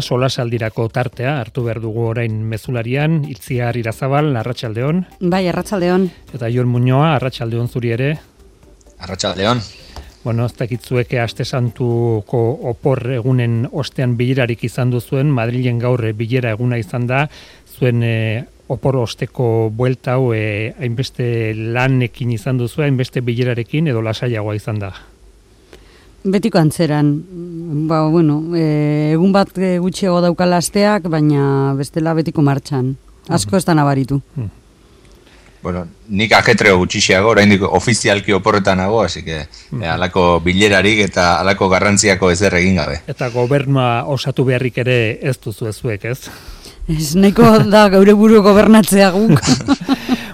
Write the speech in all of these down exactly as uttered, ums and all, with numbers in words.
Solasaldirako tartea hartu behar dugu orain mezularian, Itziar Irazabal, arratsaldeon. Bai, arratsaldeon. Eta Jon Muñoa, arratsaldeon zuri ere. Arratsaldeon. Bueno, ez dakitzueke Aste Santuko opor egunen ostean bilerarik izan duzuen, Madrilen gaur bilera eguna izan da, zuen e, opor osteko buelta hau e, hainbeste lanekin izan duzu, hainbeste bilerarekin edo lasaiagoa izan da. Betiko antzeran, ba, bueno, e, egun bat gutxiago daukala asteak, baina bestela betiko martxan. Asko ez da nabaritu. Mm. Bueno, nik ajetreo gutxiago, oraindik ofizialki oporretan nago, así que mm. eh, alako bilerarik eta alako garrantziako ezer egin gabe. Eta gobernua osatu beharrik ere ez duzu ezuek, ez? Ez nahiko da gaure buru gobernatzea guk.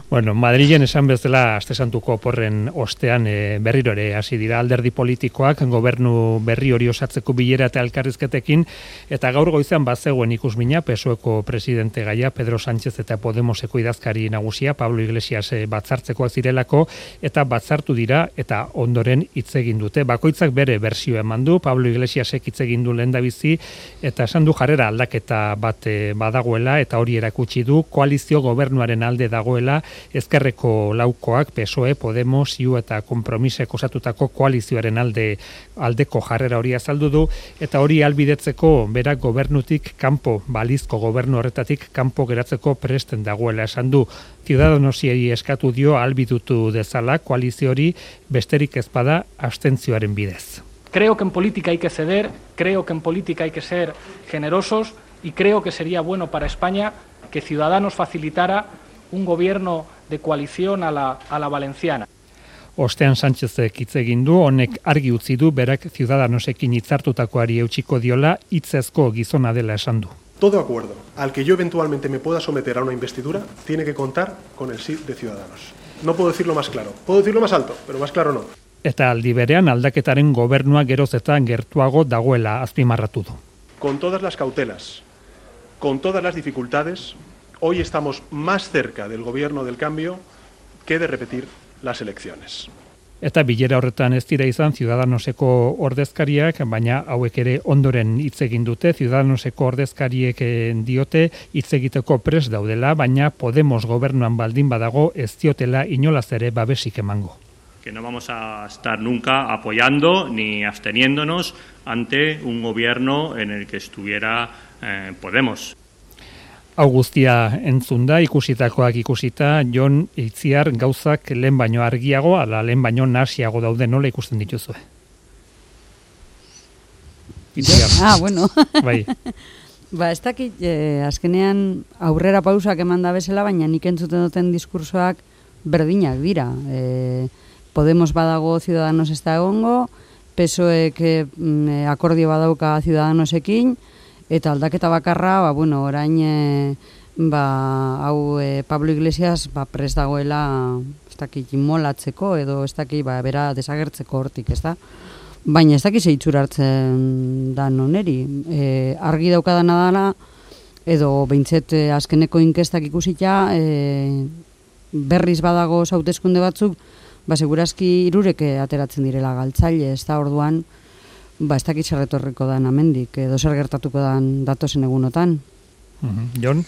Bueno, Madrilen esan bezala Aste Santuko oporren ostean e, berriro ere hasi dira alderdi politikoak gobernu berri hori osatzeko bilera eta elkarrizketekin, eta gaur goizean bazegoen ikusmina P S O Eko presidente gaia Pedro Sánchez eta Podemoseko idazkari nagusia Pablo Iglesias batzartzekoak zirelako, eta batzartu dira eta ondoren hitz egin dute. Bakoitzak bere bersioa eman du, Pablo Iglesiasek hitz egin du lehendabizi eta esan du jarrera aldaketa bat e, badagoela, eta hori erakutsi du koalizio gobernuaren alde dagoela. Ezkerreko laukoak, P S O E, Podemos, I U eta Konpromisek osatutako koalizioaren alde aldeko jarrera hori azaldu du, eta hori albidetzeko berak gobernutik kanpo, balizko gobernu horretatik kanpo geratzeko presten dagoela esan du. Ciudadanosiei eskatu dio albidutu dezala koalizio hori besterik ez bada abstentzioaren bidez. Creo que en política hay que ceder, creo que en política hay que ser generosos y creo que sería bueno para España que Ciudadanos facilitara un gobierno de coalición a la, a la valenciana. Ostean Sánchezek hitz egin du, honek argi utzi du berak Ciudadanosekin hitzartutakoari eutsiko diola, hitzezko gizona dela esan du. Todo acuerdo al que yo eventualmente me pueda someter a una investidura tiene que contar con el sí de Ciudadanos. No puedo decirlo más claro, puedo decirlo más alto, pero más claro no. Eta aldi berean aldaketaren gobernua geroz eta gertuago dagoela azpimarratu du. Con todas las cautelas, con todas las dificultades, hoy estamos más cerca del gobierno del cambio que de repetir las elecciones. Eta bilera horretan ez dira izan Ciudadanoseko ordezkariak, baina hauek ere ondoren hitz egin dute. Ciudadanoseko ordezkariek diote hitz egiteko prest daudela, baina Podemos gobernuan baldin badago ez diotela inolaz ere babesik emango. Que no vamos a estar nunca apoyando ni absteniéndonos ante un gobierno en el que estuviera eh, Podemos. Hau guztia entzun da, ikusitakoak ikusita, Jon Itziar gauzak lehen baino argiago, ala lehen baino nasiago daude, nola ikusten dituzue? Itziar. Ah, bueno. Bai. Ba, ez dakit, eh, azkenean aurrera pausak eman da bezala, baina nik entzuten duten diskursoak berdinak dira. Eh, Podemos badago, Ciudadanos ez da egongo, P S O Ek eh, akordio badauka Ciudadanosekin, eta aldaketa bakarra, ba, bueno, orain e, ba, hau e, Pablo Iglesias ba, prest dagoela ez dakit inmolatzeko edo ez dakit ba, bera desagertzeko hortik, ez da? Baina ez dakit zeitzura hartzen da noneri. E, argi daukadana dela, edo behintzet e, azkeneko inkestak ikusita, e, berriz badago hauteskunde batzuk, ba, segurazki hirurek ateratzen direla galtzaile, ez da, orduan, ba, ez dakit zer etorriko dan amendik, edo zer gertatuko dan datozen egunotan. Uh-huh. Jon?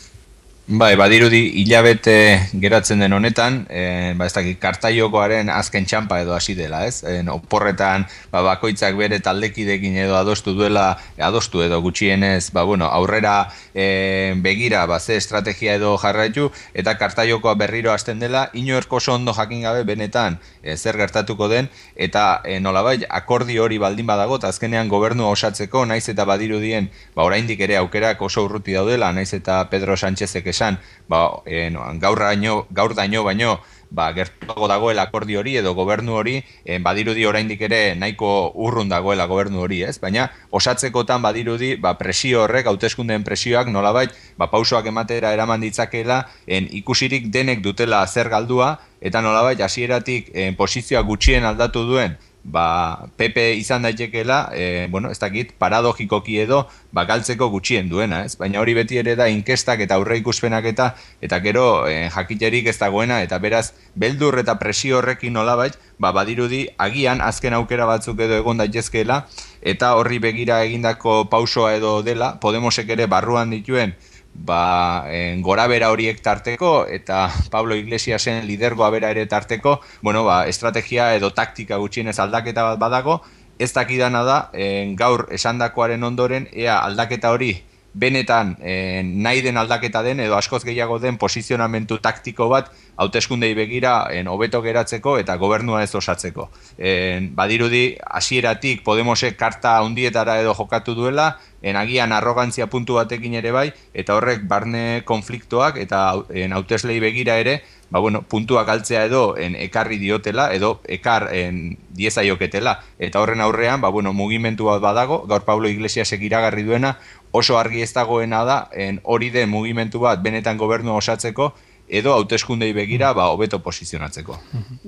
Bai, badirudi hilabete geratzen den honetan, e, ba ez dakit kartaiokoaren azken txampa edo hasi dela, ez? E, oporretan ba, bakoitzak bere taldekidekin edo adostu duela, adostu edo gutxienez, ba bueno, aurrera e, begira ba ze estrategia edo jarraitu, eta kartaiokoa berriro hasten dela, inork oso ondo jakin gabe benetan e, zer gertatuko den, eta e, nolabait akordio hori baldin badago, eta azkenean gobernua osatzeko, naiz eta badirudien, ba oraindik ere aukerak oso urruti daudela, naiz eta Pedro Sánchezek esan, ba, e, no, gaur, daño, gaur daño baino ba, gertuago dagoela akordio hori edo gobernu hori, e, badirudi oraindik ere nahiko urrun dagoela gobernu hori, ez? Baina osatzekotan badirudi ba, presio horrek, hauteskundeen presioak nolabait ba, pausoak ematera eraman ditzakeela, en, ikusirik denek dutela zer galdua, eta nolabait hasieratik e, posizioa gutxien aldatu duen ba, P P izan daitekeela, e, bueno, ez dakit, paradogikoki edo, ba, galtzeko gutxien duena, ez? Baina hori beti ere da inkestak eta aurre ikuspenak eta, eta gero e, jakiterik ez dagoena, eta beraz, beldur eta presio horrekin nolabait, ba, badirudi, agian azken aukera batzuk edo egon daitezkeela, eta horri begira egindako pausoa edo dela, Podemosek ere barruan dituen ba, en, gora bera horiek tarteko eta Pablo Iglesiasen lidergoa bera ere tarteko, bueno, ba, estrategia edo taktika gutxienez aldaketa bat badago, ez dakidana da, en, gaur esandakoaren ondoren, ea aldaketa hori benetan en, nahi den aldaketa den edo askoz gehiago den posizionamentu taktiko bat hauteskundei begira en, hobeto geratzeko eta gobernua ez osatzeko. En, badirudi, hasieratik Podemosek karta hundietara edo jokatu duela, en, agian arrogantzia puntu batekin ere bai, eta horrek barne konfliktoak eta en, hauteslei begira ere, ba, bueno, puntuak altzea edo en, ekarri diotela, edo ekar en, diezaioketela. Eta horren aurrean, ba, bueno, mugimendu bat badago, gaur Pablo Iglesiasek iragarri duena, oso argi ez dagoena da, en, hori den mugimendu bat benetan gobernua osatzeko, edo hauteskundei begira ba hobeto posizionatzeko.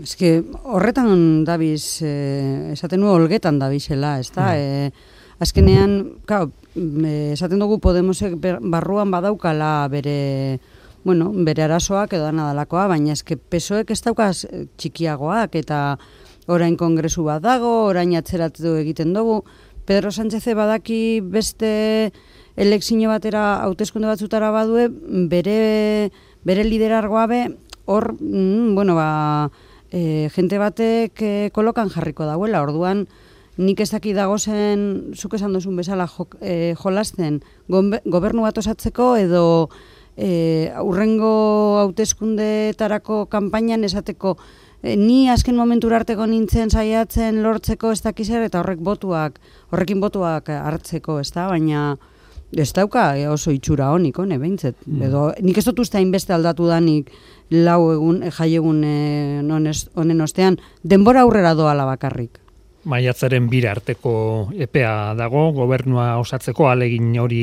Eske horretan dabiz, eh, esaten du olgetan dabizela, ezta? Eh, azkenean, claro, esaten dugu Podemosek barruan badaukala bere, bueno, bere arazoak edo nadalakoa, baina eske P S O ek ez daukaz txikiagoak eta orain kongresu bat dago, orain atzeratu egiten dugu. Pedro Sánchez badaki beste elekzio batera hauteskunde batzutara badue, bere bere liderargoa be, hor, mm, bueno, ba, e, jente batek e, kolokan jarriko dauela, orduan nik ez daki dagozen, zuk esan duzun bezala jo, e, jolasten, gobernu bat osatzeko edo e, urrengo hauteskundetarako kanpainan esateko, e, ni azken momentura arteko nintzen saiatzen lortzeko ez dakizer eta horrek botuak, horrekin botuak hartzeko, ez da, baina ez dauka oso itxura honik, hone, behintzet. Mm. Edo, nik ez dut uste hainbeste aldatu danik lau egun, jai egun honen ostean, denbora aurrera doala bakarrik. Maiatzaren bira arteko epea dago, gobernua osatzeko alegin hori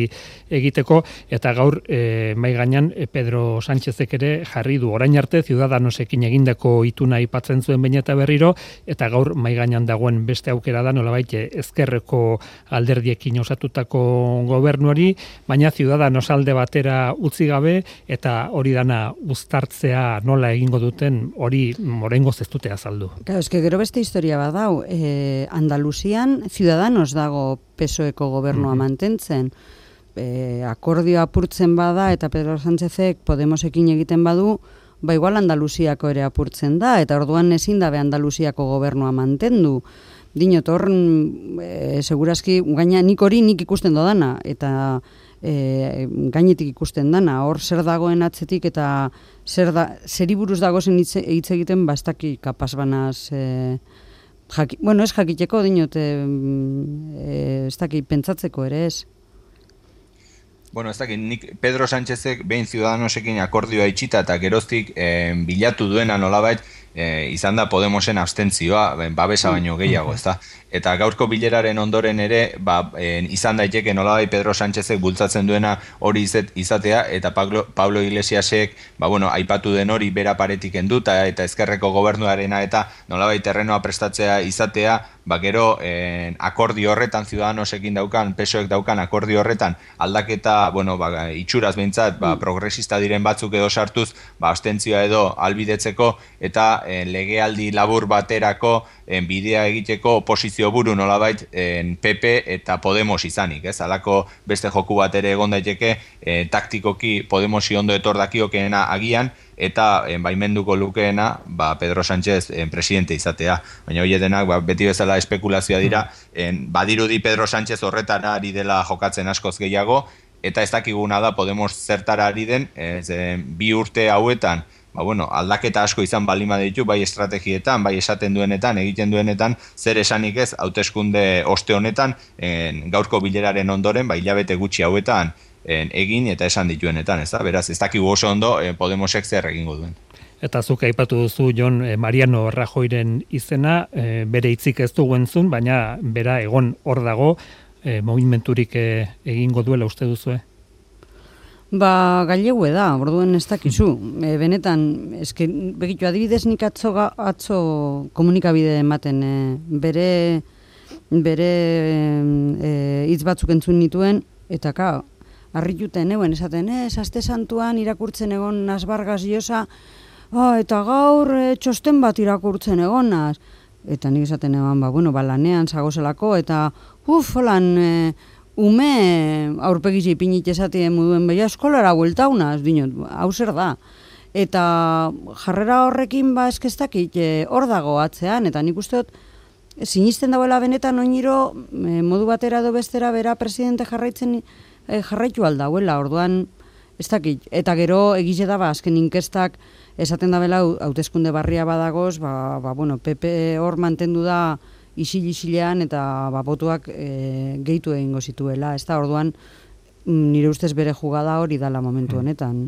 egiteko, eta gaur e, mai gainean e, Pedro Sánchezek ere jarri du orain arte Ciudadanosekin egindako ituna aipatzen zuen behin eta berriro, eta gaur mai gainean dagoen beste aukera da nolabait ezkerreko alderdiekin osatutako gobernuari, baina Ciudadanos alde batera utzi gabe, eta hori dana uztartzea nola egingo duten hori oraingoz ez dute azaldu. Claro, eske gero beste historia badau, eh Andaluzian Ciudadanos dago P S O eko gobernua mm-hmm. mantentzen. E, akordioa apurtzen bada eta Pedro Sánchezek Podemosekin egiten badu, ba igual Andaluziako ere apurtzen da, eta orduan ezin dabe Andaluziako gobernua mantendu. Dinot hor, e, segurazki, gaina nik hori nik ikusten dodana, eta e, gainetik ikusten dana, hor zer dagoen atzetik eta zer da, zeri buruz dagozen hitz egiten bastaki kapaz banaz... E, Jaki, bueno, ez jakiteko dinot, e, ez dakit pentsatzeko ere ez. Bueno, ez dakit, nik Pedro Sánchezek behin Ciudadanosekin akordioa itxita eta geroztik e, bilatu duena nolabait e, izan da Podemosen abstentzioa, babesa baino gehiago, ez da. Eta gaurko bileraren ondoren ere, ba, e, izan daiteke nolabait Pedro Sánchezek bultzatzen duena hori izet, izatea, eta Pablo, Pablo Iglesiasek, ba, bueno, aipatu den hori bera paretik enduta, eta ezkerreko gobernuarena eta nolabait terrenoa prestatzea izatea, ba, gero e, akordio horretan, Ciudadanosekin daukan, P S O ek daukan akordio horretan, aldaketa, bueno, ba, itxuraz behintzat, ba, progresista diren batzuk edo sartuz, ba, abstentzioa edo albidetzeko, eta e, legealdi labur baterako e, bidea egiteko oposizio buru nolabait en P P eta Podemos izanik, ez? Halako beste joku bat ere egon daiteke e, taktikoki Podemosi ondo etor dakiokeena agian eta en, baimenduko lukeena ba, Pedro Sánchez en, presidente izatea. Baina hori denak ba, beti bezala espekulazioa dira, en, badirudi Pedro Sánchez horretara ari dela jokatzen askoz gehiago, eta ez dakiguna da Podemos zertara ari den, ez, en, bi urte hauetan ba, bueno, aldaketa asko izan balima ditu, bai estrategietan, bai esaten duenetan, egiten duenetan, zer esanik ez, hauteskunde oste honetan, en, gaurko bileraren ondoren, bai hilabete gutxi hauetan en, egin eta esan dituenetan, ez da? Beraz, ez dakigu oso ondo eh, Podemosek zer egingo duen. Eta zuk aipatu duzu, Jon, eh, Mariano Rajoyren izena, eh, bere hitzik ez dugu entzun, baina bera egon hor dago, eh, movimenturik eh, egingo duela uste duzue? Ba, gailegue da, orduen ez dakizu. E, benetan, eske, begitu, adibidez nik atzo, atzo komunikabide ematen, e, bere bere e, hitz batzuk entzun nituen, eta ka, harrituten euen esaten, ez, aste santuan irakurtzen egon Nasbargas Llosa, ah, eta gaur e, txosten bat irakurtzen egonaz. Eta nik esaten eban, ba, bueno, ba, lanean zagozelako, eta uf, holan, e, ume aurpegizi ipinit esatien moduen beha eskolara bueltaunaz, dinot, hau zer da. Eta jarrera horrekin ba eskeztakit hor dago atzean, eta nik uste dut, sinisten dagoela benetan oiniro e, modu batera edo bestera bera presidente jarraitzen e, jarraitu aldauela, orduan ez dakit. Eta gero egize da, ba, azken inkestak esaten da bela hauteskunde barria badagoz, ba, ba, bueno, P P hor mantendu da isil-isilean eta ba, botuak e, gehitu egingo zituela. Ez da, orduan nire ustez bere jugada hori dala momentu honetan.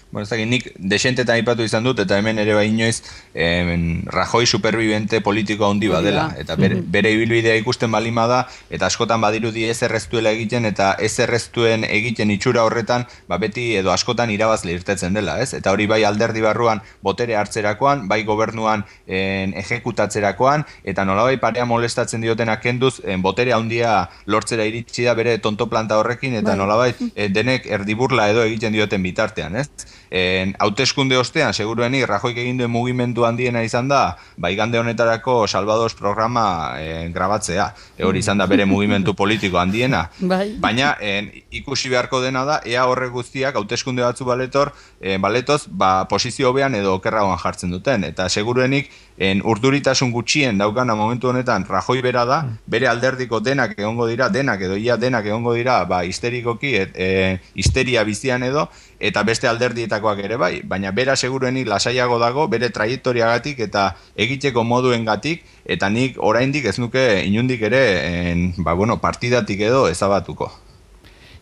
Bueno, ez dakit, nik desentetan aipatu izan dut, eta hemen ere bai inoiz, em, Rajoy supervivente politiko handi badela, eta bere, bere ibilbidea ikusten balima da, eta askotan badirudi ez erreztuela egiten, eta ez erreztuen egiten itxura horretan, ba beti edo askotan irabazle irtetzen dela, ez? Eta hori bai alderdi barruan botere hartzerakoan, bai gobernuan en, ejekutatzerakoan, eta nolabai parea molestatzen diotenak kenduz, en, botere handia lortzera iritsi da bere tonto planta horrekin, eta nolabai e, denek erdiburla edo egiten dioten bitartean, ez? En, hauteskunde ostean, seguruenik, Rajoik egin duen mugimendu handiena izan da, ba, igande honetarako Salvados programa en, grabatzea. E, hori izan da bere mugimendu politiko handiena. Bai. Baina, en, ikusi beharko dena da, ea horrek guztiak hauteskunde batzu baletor, en, baletoz, ba, posizio hobean edo okerragoan jartzen duten. Eta seguruenik, en, urduritasun gutxien daukana momentu honetan Rajoy bera da, bere alderdiko denak egongo dira, denak edo ia denak egongo dira, ba, histerikoki, et, e, histeria bizian edo, eta beste alderdietakoak ere bai, baina bera seguruenik lasaiago dago, bere traiektoriagatik eta egiteko moduengatik, eta nik oraindik ez nuke inundik ere en, ba, bueno, partidatik edo ezabatuko.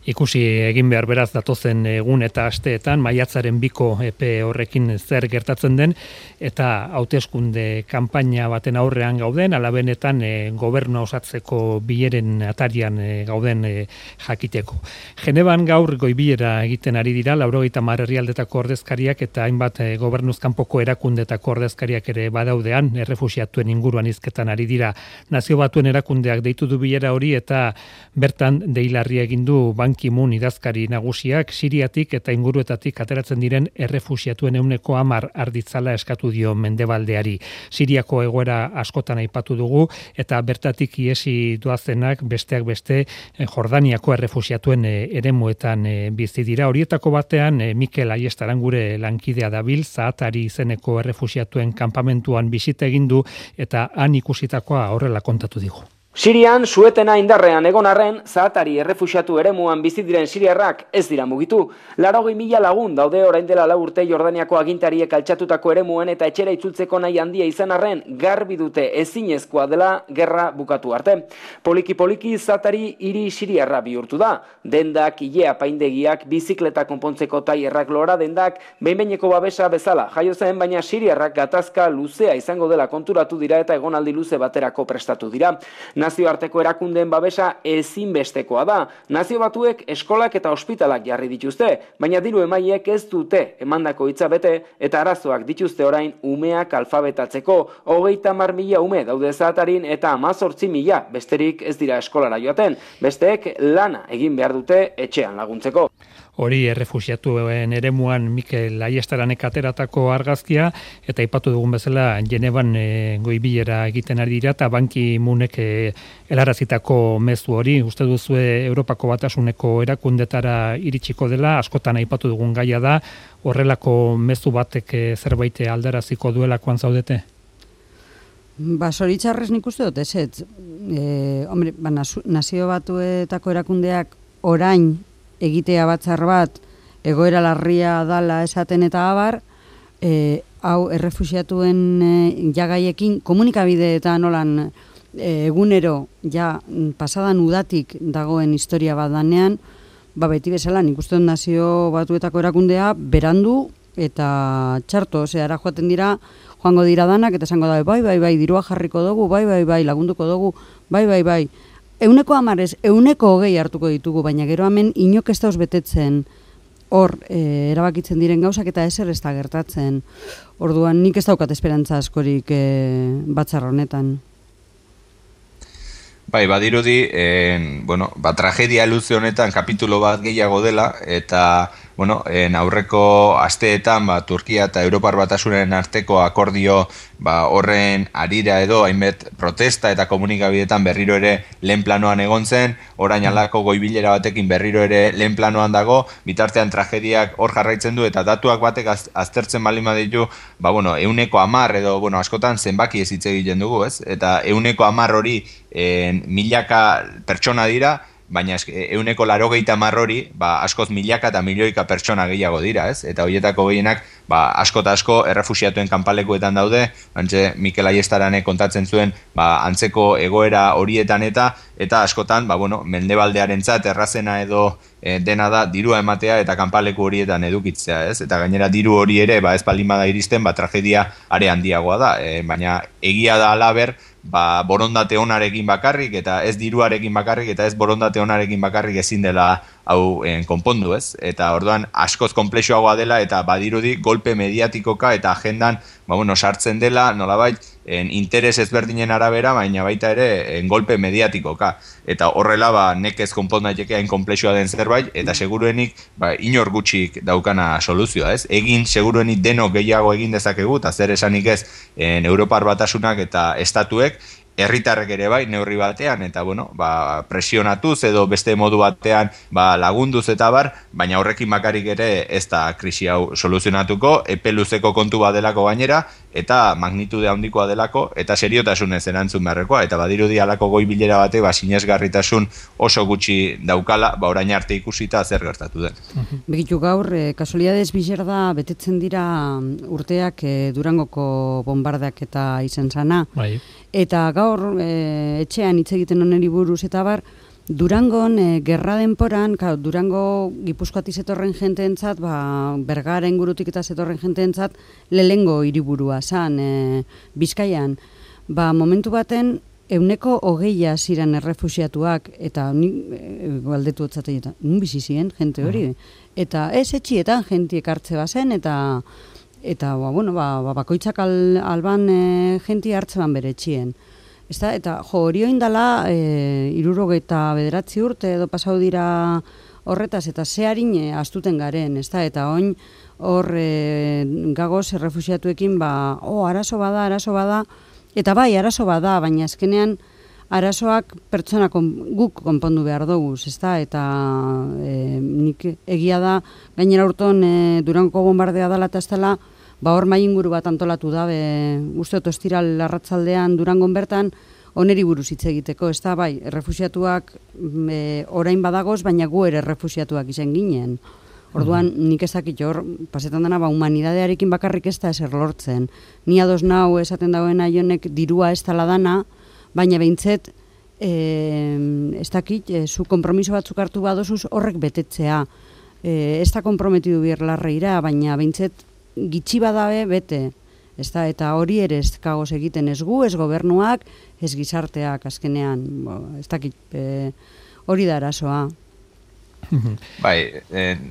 Ikusi egin behar beraz datozen egun eta asteetan, maiatzaren biko epe horrekin zer gertatzen den, eta hauteskunde kanpaina baten aurrean gauden, alabenetan e, gobernu osatzeko bileren atarian e, gauden e, jakiteko. Geneban gaur goibilera egiten ari dira, laurogeita hamar herrialdetako ordezkariak eta hainbat e, gobernuz kanpoko erakundetako ordezkariak ere badaudean, errefuxiatuen inguruan hizketan ari dira. Nazio Batuen erakundeak deitu du bilera hori eta bertan deilarri egin du Ban Ki-moon idazkari nagusiak Siriatik eta inguruetatik ateratzen diren errefuxiatuen ehuneko hamar arditzala eskatu dio Mendebaldeari. Siriako egoera askotan aipatu dugu eta bertatik iesi doazenak besteak beste Jordaniako errefuxiatuen eremuetan bizi dira. Horietako batean Mikel Aiestaran gure lankidea dabil, Zaatari izeneko errefuxiatuen kanpamentuan bisita egin du eta han ikusitakoa horrela kontatu digu. Sirian, suetena indarrean egon arren, Zaatari errefuxiatu eremuan bizi diren siriarrak ez dira mugitu. Laurogei mila lagun daude orain dela lau urte Jordaniako agintariek altxatutako eremuen eta etxera itzultzeko nahi handia izan arren, garbi dute ezinezkoa dela gerra bukatu arte. Poliki-poliki Zaatari hiri siriarra bihurtu da. Dendak, ilea paindegiak, bizikleta konpontzeko tailerrak lora dendak, behin-behineko babesa bezala jaio zen, baina siriarrak gatazka luzea izango dela konturatu dira eta egonaldi luze baterako prestatu dira. Nazioarteko erakundeen babesa ezinbestekoa da. Nazio Batuek eskolak eta ospitalak jarri dituzte, baina diru emaileek ez dute emandako hitza bete eta arazoak dituzte orain umeak alfabetatzeko. Hogeita hamar mila ume daude Zaatarin eta hamazortzi mila besterik ez dira eskolara joaten. Besteek lana egin behar dute etxean laguntzeko. Hori errefuxiatuen eremuan Mikel Aiestaranek ateratako argazkia, eta aipatu dugun bezala Genevan e, goibilera egiten ari dira, eta Ban Ki-moonek e, helarazitako mezu hori, uste duzue Europako Batasuneko erakundetara iritsiko dela, askotan aipatu dugun gaia da, horrelako mezu batek e, zerbait aldaraziko duelakoan zaudete? Ba, zoritxarrez nik uste dut, ez ez. E, hombre, ba, Nazio Batuetako erakundeak orain egitea batzar bat, egoera larria dala esaten eta abar, e, hau errefuxiatuen e, jagaiekin komunikabideetan nolan e, egunero ja pasadan udatik dagoen historia bat danean, ba beti bezala nik uste dut Nazio Batuetako erakundea berandu eta txarto, ose, ara joaten dira, joango dira danak, eta esango da, bai, bai, bai, dirua jarriko dugu, bai, bai, bai, lagunduko dugu, bai, bai, bai. Euneko amarez, euneko hogei hartuko ditugu, baina gero hemen inok ez dauz betetzen hor e, erabakitzen diren gauzak eta ezer ez da gertatzen. Orduan nik ez daukat esperantza askorik e, batzar honetan. Bai, badirudi, eh, bueno, ba, tragedia luze honetan kapitulo bat gehiago dela, eta bueno, en aurreko asteetan, ba, Turkia eta Europar Batasunen arteko akordio, ba, horren arira edo, hainbet protesta eta komunikabidetan berriro ere lehen planoan egon zen, orain alako goibilera batekin berriro ere lehen planoan dago, bitartean tragediak hor jarraitzen du, eta datuak batek az, aztertzen baldin baditu, ba, bueno, euneko hamar edo, bueno, askotan zenbaki ez hitz egiten dugu, ez? Eta euneko hamar hori en, milaka pertsona dira, baina euneko larogeita hamar hori, ba, askoz milaka eta milioika pertsona gehiago dira, ez? Eta horietako gehienak, ba, asko eta asko errefuxiatuen kanpalekuetan daude, bantxe Mikel Aiestarane kontatzen zuen, ba, antzeko egoera horietan eta, eta askotan, ba, bueno, mendebaldearentzat errazena edo e, dena da dirua ematea eta kanpaleku horietan edukitzea, ez? Eta gainera diru hori ere, ba, ez baldin bada iristen, ba, tragedia are handiagoa da, e, baina egia da alaber, ba, borondate onarekin bakarrik eta ez diruarekin bakarrik eta ez borondate onarekin bakarrik ezin dela hau en, konpondu, ez? Eta orduan askoz konplexuagoa dela eta badirudi golpe mediatikoka eta agendan, ba, bueno, sartzen dela, nolabait, en, interes ezberdinen arabera, baina baita ere en, golpe mediatikoka. Eta horrela, ba, nekez konpon daiteke hain konplexua den zerbait, eta seguruenik, ba, inor gutxik daukana soluzioa, ez? Egin, seguruenik denok gehiago egin dezakegu, eta zer esanik ez, en, Europar Batasunak eta estatuek, herritarrek ere bai, neurri batean, eta bueno, ba, presionatuz edo beste modu batean ba, lagunduz eta bar, baina horrekin bakarrik ere ez da krisi hau soluzionatuko, epe luzeko kontu bat delako gainera, eta magnitude handikoa delako, eta seriotasunez erantzun beharrekoa, eta badirudi halako goi bilera bate, ba, sinesgarritasun oso gutxi daukala, ba, orain arte ikusita zer gertatu den. Begitu gaur, eh, kasualidades bizerda betetzen dira urteak eh, Durangoko bombardak eta izen zana, bai. Eta gaur e, etxean hitz egiten oneri buruz eta bar, Durangon e, gerra denporan, ka, Durango Gipuzkoatik zetorren jenteentzat, ba, Bergara ingurutik eta zetorren jenteentzat, lehengo hiriburua zan, e, Bizkaian. Ba, momentu baten, euneko hogeia ziren errefuxiatuak, eta ni e, galdetu otzaten, eta nun bizi ziren jente hori. Eta ez etxietan jentiek hartze bazen, eta... Eta, ba, bueno, ba, ba, bakoitzak al, alban e, jenti hartzeban bere etxien. Ezta? Eta, jo, hori oindala, e, irurogeita bederatzi urte edo pasau dira horretaz, eta ze harin e, astuten garen, ezta? Eta oin, hor, e, gagoz, errefusiatuekin, ba, oh, arazo bada, arazo bada, eta bai, arazo bada, baina azkenean, arazoak pertsona kon, guk konpondu behar dugu, ezta? Eta e, nik egia da, gainera urton e, Durango bombardea dela eta ez dela, ba hor mai inguru bat antolatu da, uste dut ostiral arratzaldean Durangon bertan, oneri buruz hitz egiteko, ezta? Bai, errefusiatuak e, orain badagoz, baina gu ere errefusiatuak izen ginen. Orduan, nik ezakit hor, pasetan dena, ba, humanidadearekin bakarrik ez da ezer lortzen. Ni ados nau esaten dagoena jonek dirua ez dela dana, baina behintzet, e, ez dakit, e, zu kompromiso batzuk hartu badozuz horrek betetzea. E, ez da komprometidu bier larreira, baina behintzet gitxi badabe bete. Ez da, eta hori ere ez kagoz egiten ez gu, ez gobernuak, ez gizarteak azkenean. Bo, ez dakit, e, hori da arazoa. Bai,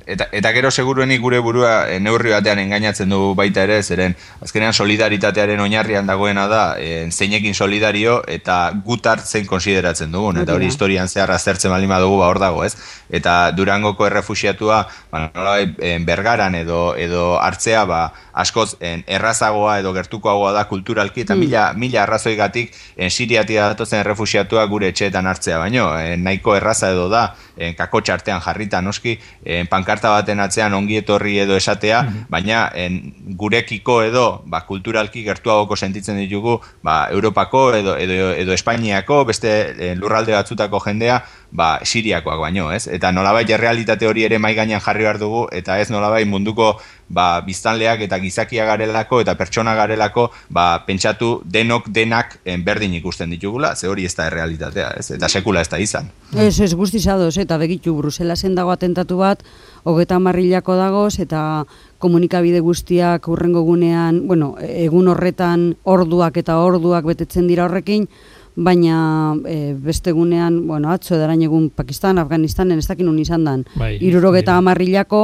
eta, eta gero seguruenik gure burua neurri batean engainatzen du baita ere, zeren azkenean solidaritatearen oinarrian dagoena da e, zeinekin solidario eta gutar zein konsideratzen dugun, eta hori historian zehar aztertzen baldin badugu ba hor dago, ez? Eta Durangoko errefuxiatua, ba, nolabait, Bergaran edo edo hartzea, ba, askoz en, errazagoa edo gertukoagoa da kulturalki, eta mm. mila, mila arrazoigatik en, Siriatik datozen errefuxiatua gure etxeetan hartzea, baino, en, nahiko erraza edo da, en, kakotxa artean jarrita noski, en, pankarta baten atzean ongi etorri edo esatea, mm-hmm. baina en, gurekiko edo ba, kulturalki gertuagoko sentitzen ditugu ba, Europako edo, edo, edo Espainiako, beste en, lurralde batzutako jendea, ba, Siriakoak baino, ez? Eta nolabait errealitate hori ere mai gainean jarri behar dugu, eta ez nolabait munduko ba, biztanleak eta gizakia garelako eta pertsona garelako ba, pentsatu denok denak berdin ikusten ditugula, ze hori ez da errealitatea, ez? Eta sekula ez da izan. Ez, ez guztizadoz, eta begitu Bruselasen dago atentatu bat, hogeta marrilako dagoz, eta komunikabide guztiak urrengo gunean, bueno, egun horretan orduak eta orduak betetzen dira horrekin, baina e, beste gunean, bueno, atzo edarain egun Pakistan, Afganistanen, ez dakin un izan dan, bai, irurogeta bai. Amarrilako,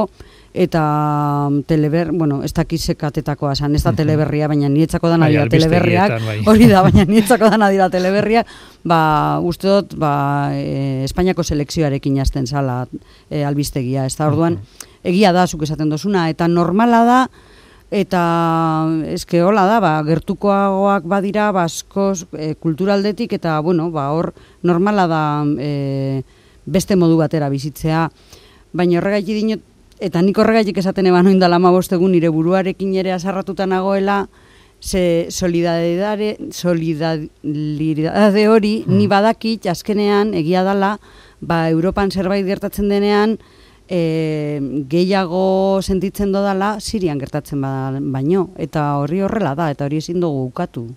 eta teleber, bueno, ez dakizek atetakoa zan, ez da teleberria, baina nietzako dana dira teleberriak, hori da, baina nietzako dana dira teleberriak, ba, uste dut, ba, e, Espainiako selekzioarekin jazten zala e, albistegia, ez da orduan, egia da, zuk esaten dozuna, eta normala da, eta eske hola da, ba, gertukoagoak badira, baskoz, e, kulturaldetik, eta, bueno, ba, hor normala da e, beste modu batera bizitzea. Baina horregaitik dinot, eta nik horregaitik esaten eban oindala hamabost egun nire buruarekin ere azarratuta nagoela, ze solidariedade, solidariedade hori, mm. ni badakit, azkenean, egia dala, ba, Europan zerbait gertatzen denean, e, gehiago sentitzen dodala, Sirian gertatzen baino, eta horri horrela da, eta hori ezin dugu ukatu.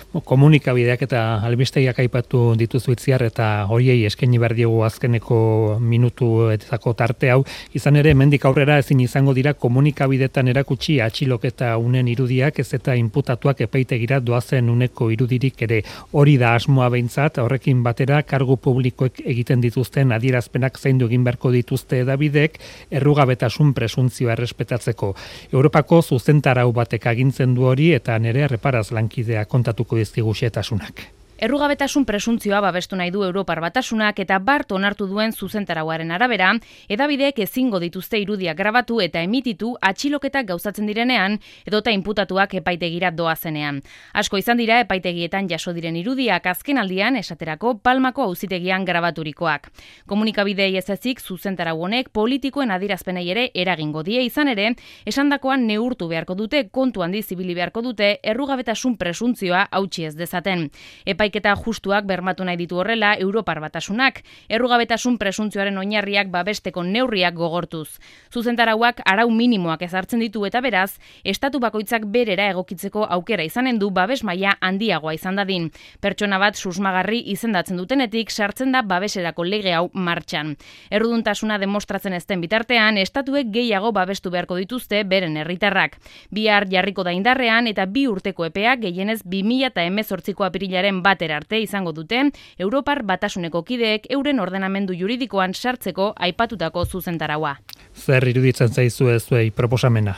Komunikabideak eta albistegiak aipatu dituzu Itziar, eta horiei eskaini behar diegu azkeneko minutuetako tarte hau. Izan ere, hemendik aurrera ezin izango dira komunikabidetan erakutsi atxiloketa unen irudiak, ez eta inputatuak epaitegira doazen uneko irudirik ere. Hori da asmoa behintzat, horrekin batera kargu publikoek egiten dituzten adierazpenak zaindu egin beharko dituzte edabidek errugabetasun presuntzioa errespetatzeko. Europako zuzentarau batek agintzen du hori, eta nere erreparaz lankidea kontatuko dizkigu xehetasunak. Errugabetasun presuntzioa babestu nahi du Europar Batasunak eta bart onartu duen zuzentarauaren arabera, edabideek ezingo dituzte irudiak grabatu eta emititu atxiloketak gauzatzen direnean edota inputatuak epaitegira doazenean. Asko izan dira epaitegietan jaso diren irudiak azkenaldian esaterako Palmako auzitegian grabaturikoak. Komunikabidei ez ezik zuzentarau honek politikoen adierazpenei ere eragingo die, izan ere, esandakoan neurtu beharko dute, kontu handi zibili beharko dute errugabetasun presuntzioa hautsi ez dezaten. Epai Epaiketa justuak bermatu nahi ditu horrela Europar Batasunak, errugabetasun presuntzioaren oinarriak babesteko neurriak gogortuz. Zuzentarauak arau minimoak ezartzen ditu eta beraz, estatu bakoitzak berera egokitzeko aukera izanen du babes maila handiagoa izan dadin. Pertsona bat susmagarri izendatzen dutenetik sartzen da babeserako lege hau martxan. Erruduntasuna demostratzen ezten bitartean, estatuek gehiago babestu beharko dituzte beren herritarrak. Bihar jarriko da indarrean eta bi urteko epeak gehienez bi mila hemezortziko apirilaren bat arte izango duten Europar Batasuneko kideek euren ordenamendu juridikoan sartzeko aipatutako zuzentaraua. Zer iruditzen zaizu ez zuei proposamena?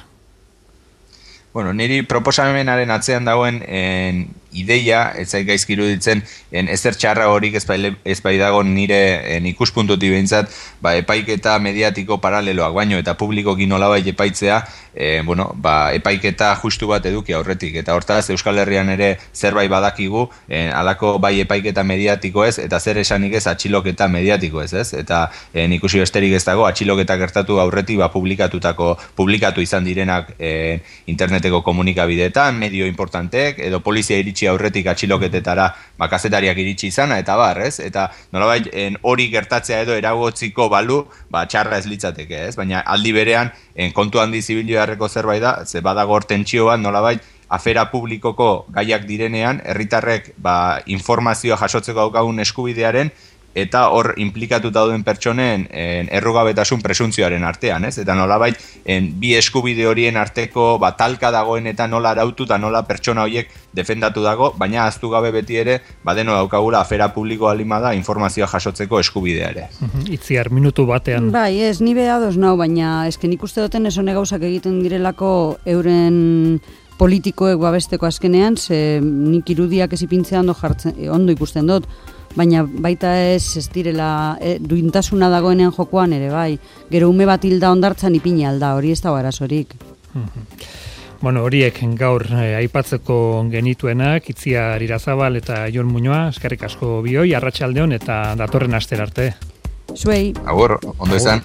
Bueno, niri proposamenaren atzean dagoen en, ideia, ez zait gaizki iruditzen, en, ezer txarra horik ez bai dago nire en, ikuspuntutik behintzat, ba, epaiketa mediatiko paraleloak baino eta publikoki nolabait epaitzea, e, bueno, ba, epaiketa justu bat eduki aurretik. Eta hortaz, Euskal Herrian ere zerbait badakigu, en, alako bai epaiketa mediatiko ez, eta zer esanik ez atxiloketa mediatiko ez, ez? Eta en, ikusi besterik ez dago, atxiloketa gertatu aurretik ba, publikatutako, publikatu izan direnak en, interneteko komunikabideetan, medio importantek, edo polizia iritsi aurretik atxiloketetara ba, kazetariak iritsi izana, eta bar, ez? Eta nolabait hori gertatzea edo eragotziko balu, ba, txarra ez litzateke, ez? Baina aldi berean, en, kontu handi zibilio beharreko zerbait da, ze badago hor tentsio bat, nolabait, afera publikoko gaiak direnean, herritarrek ba, informazioa jasotzeko daukagun eskubidearen, eta hor implikatuta dauden pertsonen en, errugabetasun presuntzioaren artean, ez? Eta nolabait, en, bi eskubide horien arteko ba, talka dagoen eta nola arautu eta nola pertsona horiek defendatu dago, baina ahaztu gabe beti ere, badeno daukagula afera publikoa lima da informazioa jasotzeko eskubidea ere. Itziar, minutu batean. Bai, ez, ni beha doz nau, baina esken ikuste duten esone gauzak egiten direlako euren politikoek babesteko azkenean, ze nik irudiak ez ipintzea ondo, jartzen, ondo ikusten dut, baina baita ez ez direla e, duintasuna dagoenean jokoan ere bai. Gero ume bat hilda ondartzan ipini alda, hori ez da arazorik. Bueno, horiek gaur eh, aipatzeko genituenak, Itziar Irazabal eta Jon Muñoa, eskerrik asko bioi, arratsaldeon eta datorren astera arte. Zuei. Agur, ondo izan.